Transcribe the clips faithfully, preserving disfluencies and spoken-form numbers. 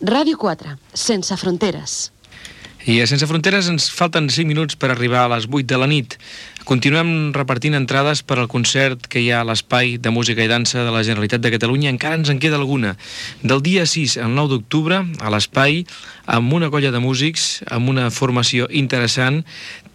Ràdio quatre, sense fronteres. I a Sense Fronteres ens falten cinc minuts per arribar a les vuit de la nit. Continuem repartint entrades per al concert que hi ha a l'Espai de Música i Dansa de la Generalitat de Catalunya. Encara ens en queda alguna. Del dia sis al nou d'octubre, a l'Espai, amb una colla de músics, amb una formació interessant,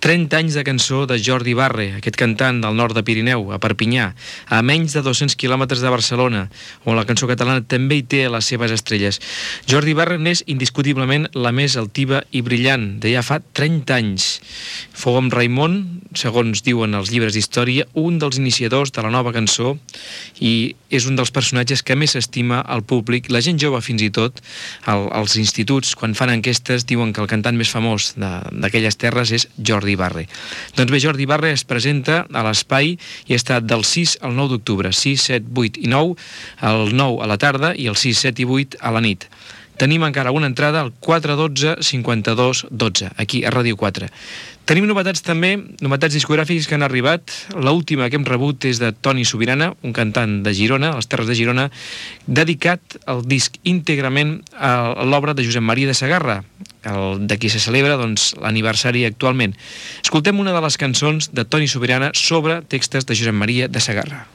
trenta anys de cançó de Jordi Barre, aquest cantant del nord de Pirineu, a Perpinyà, a menys de dos-cents quilòmetres de Barcelona, on la cançó catalana també hi té les seves estrelles. Jordi Barre n'és indiscutiblement la més altiva i brillant, de ja fa trenta anys. Fou amb Raimon, segons diuen els llibres d'història, un dels iniciadors de la nova cançó i és un dels personatges que més s'estima al públic. La gent jove, fins i tot, al, als instituts, quan fan enquestes, diuen que el cantant més famós d'aquelles terres és Jordi Barre. Doncs bé, Jordi Barre es presenta a l'Espai i està del sis al nou d'octubre, sis, set, vuit i nou, el nou a la tarda i el sis, set i vuit a la nit. Tenim encara una entrada al quatre dotze cinquanta-dos dotze, aquí a Ràdio quatre. Tenim novetats també, novetats discogràfiques que han arribat. L'última que hem rebut és de Toni Sobirana, un cantant de Girona, a les Terres de Girona, dedicat al disc íntegrament a l'obra de Josep Maria de Sagarra, el de qui se celebra doncs, l'aniversari actualment. Escoltem una de les cançons de Toni Sobirana sobre textos de Josep Maria de Sagarra.